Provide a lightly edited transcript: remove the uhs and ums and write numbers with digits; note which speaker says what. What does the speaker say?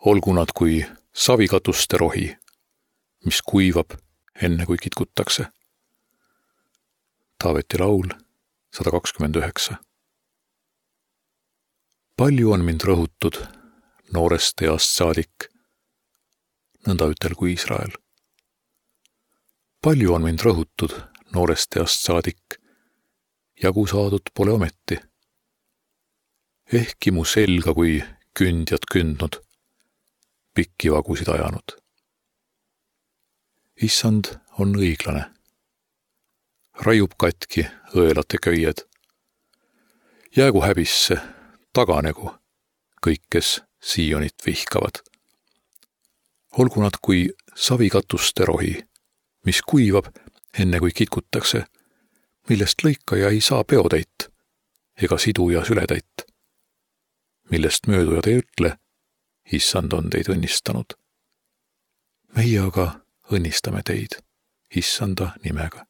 Speaker 1: Olgu nad kui savikatuste rohi, mis kuivab enne kui kitkutakse. Taaveti laul 129. Palju on mind rõhutud noorest east saadik, nõnda ütelgu Iisrael. Palju on mind rõhutud noorest east saadik, jagu saadud pole ometi. Ehkki mu selga kui kündjad kündnud, pikki vagusid ajanud. Issand on õiglane. Raiub katki õelate köied. Jäägu häbisse, taganegu kõik, kes Siionit vihkavad. Olgu nad kui savikatuste rohi, mis kuivab enne kui kitkutakse, millest lõikaja ei saa peotäit ega siduja sületäit, millest möödujad ei ütle, Issand on teid õnnistanud. Meie aga õnnistame teid Issanda nimega.